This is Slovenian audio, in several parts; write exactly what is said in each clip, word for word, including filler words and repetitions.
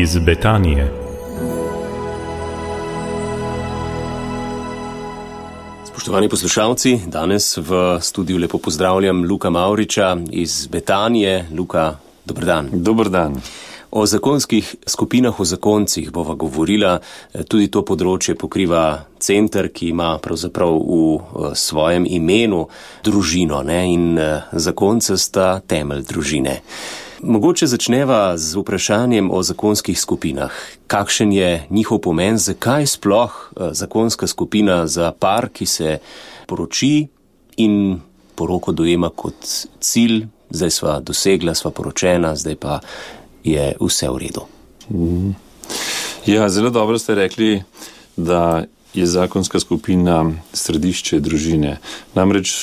iz Betanije. Spoštovani poslušalci, danes v studiu lepo pozdravljam Luka Mavriča iz Betanije. Luka, dober dan. Dober dan. O zakonskih skupinah, o zakoncih bova govorila. Tudi to področje pokriva center, ki ima pravzaprav v svojem imenu družino, ne? In zakonca sta temelj družine. Mogoče začneva z vprašanjem o zakonskih skupinah. Kakšen je njihov pomen, zakaj sploh zakonska skupina za par, ki se poroči in poroko dojema kot cilj, zdaj sva dosegla, sva poročena, zdaj pa je vse v redu. Ja, zelo dobro ste rekli, da je zakonska skupina središče družine. Namreč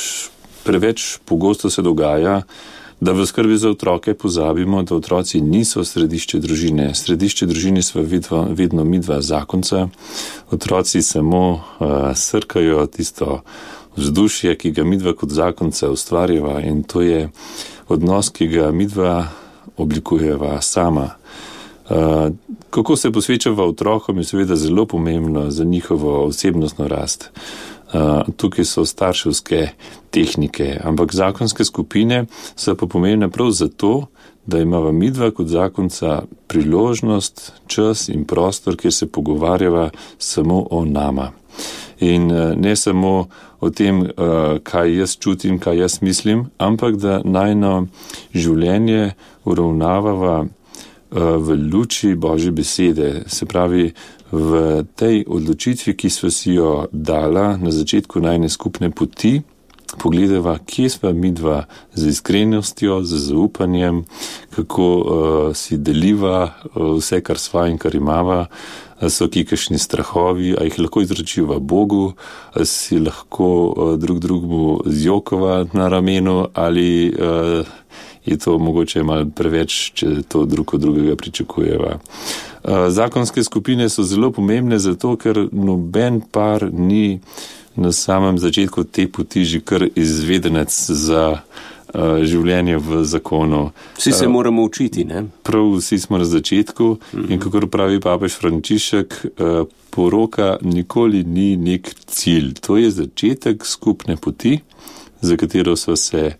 preveč pogosto se dogaja, da v skrbi za otroke pozabimo, da otroci niso središče družine. Središče družine sva vedno, vedno midva zakonca. Otroci samo uh, srkajo tisto vzdušje, ki ga midva kot zakonca ustvarjava, in to je odnos, ki ga midva oblikujeva sama. Uh, kako se posvečava otrokom, je seveda zelo pomembno za njihovo osebnostno rast. Uh, tukaj so starševske tehnike, ampak zakonske skupine so pa pomembne prav zato, da imava midva kot zakonca priložnost, čas in prostor, kjer se pogovarjava samo o nama. In uh, ne samo o tem, uh, kaj jaz čutim, kaj jaz mislim, ampak da najno življenje uravnavava uh, v luči Božje besede, se pravi v tej odločitvi, ki sva si jo dala na začetku najne skupne poti, pogledava, kje sva midva z iskrenostjo, z zaupanjem, kako uh, si deliva uh, vse, kar sva in kar imava, so ki kakšni strahovi, a jih lahko izročiva Bogu, a si lahko uh, drug drugmu zjokova na ramenu, ali uh, je to mogoče malo preveč, če to drug od drugega pričakujeva. Zakonske skupine so zelo pomembne zato, ker noben par ni na samem začetku te poti že kar izvedenec za uh, življenje v zakonu. Vsi se uh, moramo učiti, ne? Prav vsi smo na začetku uh-huh. In kakor pravi papež Frančišek, uh, poroka nikoli ni nek cilj. To je začetek skupne poti, za katero sva se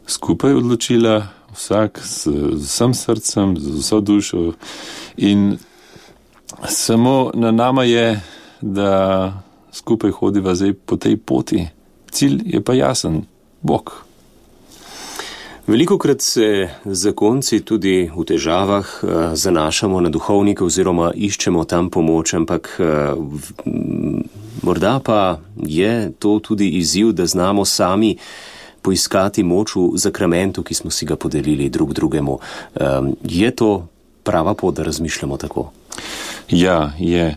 skupaj odločila, vsak z vsem srcem, z vso dušo, in samo na nama je, da skupaj hodiva zdaj po tej poti. Cilj je pa jasen, Bog. Velikokrat se zakonci tudi v težavah zanašamo na duhovnike oziroma iščemo tam pomoč, ampak morda pa je to tudi izziv, da znamo sami poiskati moč v zakramentu, ki smo si ga podelili drug drugemu. Um, je to prava pot, da razmišljamo tako? Ja, je.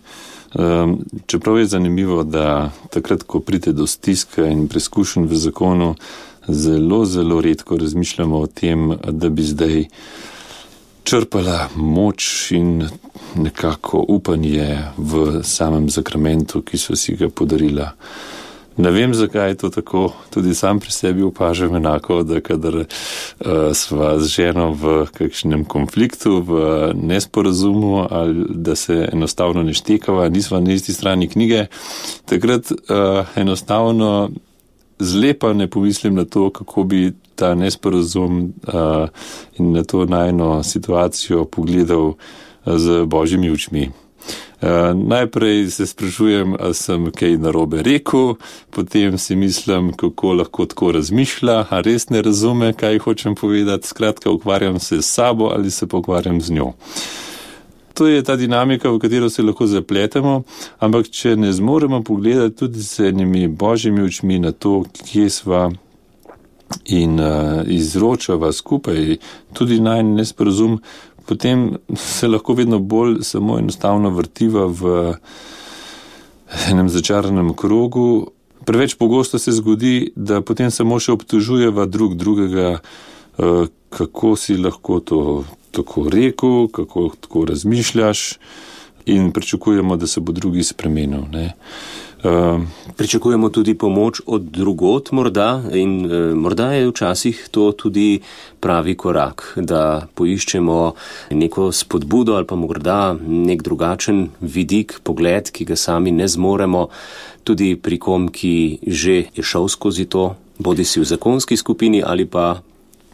Um, čeprav je zanimivo, da takrat, ko pride do stiska in preskušenj v zakonu, zelo, zelo redko razmišljamo o tem, da bi zdaj črpala moč in nekako upanje v samem zakramentu, ki so si ga podarila. Ne vem, zakaj je to tako, tudi sam pri sebi opažam enako, da kadar uh, sva z ženo v kakšnem konfliktu, v nesporazumu ali da se enostavno ne štekava, nisva na isti strani knjige, takrat uh, enostavno zlepa ne pomislim na to, kako bi ta nesporazum uh, in na to najno situacijo pogledal uh, z Božjimi očmi. Uh, najprej se sprašujem, ali sem kaj narobe rekel, potem si mislim, kako lahko tako razmišlja, a res ne razume, kaj hočem povedati. Skratka, ukvarjam se s sabo ali se pa ukvarjam z njo. To je ta dinamika, v katero se lahko zapletemo, ampak če ne zmoremo pogledati tudi s enimi Božjimi očmi na to, kje sva in uh, izročava skupaj tudi najn nesporazum, potem se lahko vedno bolj samo enostavno vrtiva v enem začaranem krogu. Preveč pogosto se zgodi, da potem samo še obtožujeva drug drugega, kako si lahko to tako rekel, kako tako razmišljaš, in pričakujemo, da se bo drugi spremenil, ne. Uh, Pričakujemo tudi pomoč od drugot morda in e, morda je včasih to tudi pravi korak, da poiščemo neko spodbudo ali pa morda nek drugačen vidik, pogled, ki ga sami ne zmoremo, tudi pri kom, ki že je šel skozi to, bodi si v zakonski skupini ali pa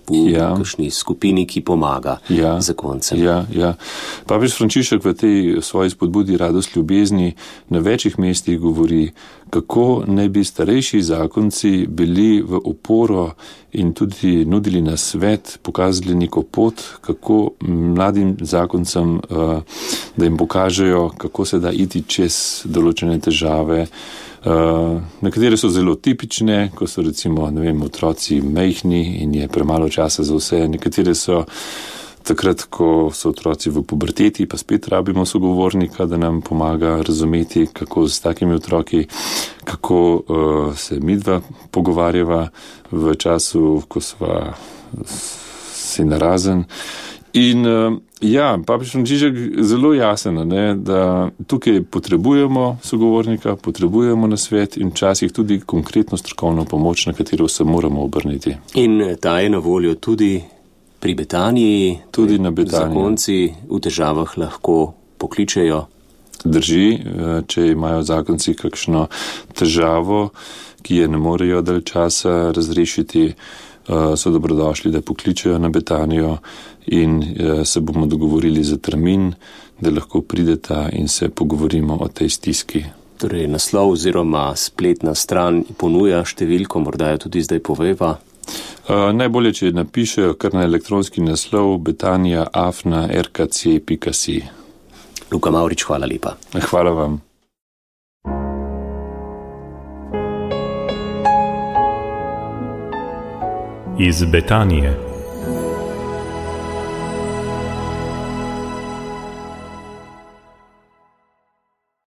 v ja. kakšni skupini, ki pomaga ja. zakoncem. Ja, ja. Papež Frančišek v tej svoji spodbudi Radost ljubezni na večjih mestih govori, kako naj bi starejši zakonci bili v oporo in tudi nudili na svet, pokazali neko pot, kako mladim zakoncem, da jim pokažejo, kako se da iti čez določene težave. Uh, nekatere so zelo tipične, ko so recimo, ne vem, otroci majhni in je premalo časa za vse. Nekatere so takrat, ko so otroci v puberteti, pa spet rabimo sogovornika, da nam pomaga razumeti, kako s takimi otroki, kako uh, se midva pogovarjava v času, ko sva si narazen. In uh, ja, papež Frančišek zelo jasen, ne, da tukaj potrebujemo sogovornika, potrebujemo nasvet in včasih tudi konkretno strokovno pomoč, na katero se moramo obrniti. In ta je na voljo tudi pri Betaniji, tudi na Betaniji. Zakonci v težavah lahko pokličejo. Drži, če imajo zakonci kakšno težavo, ki je ne morejo dalj časa razrešiti, so dobrodošli, da pokličejo na Betanijo in se bomo dogovorili za termin, da lahko prideta in se pogovorimo o tej stiski. Torej, naslov oziroma spletna stran ponuja številko, morda jo tudi zdaj poveva. Uh, najbolje, če napišejo kar na elektronski naslov betanija afna r k c pika si. Luka Mavrič, hvala lepa. Hvala vam. Iz Betanije.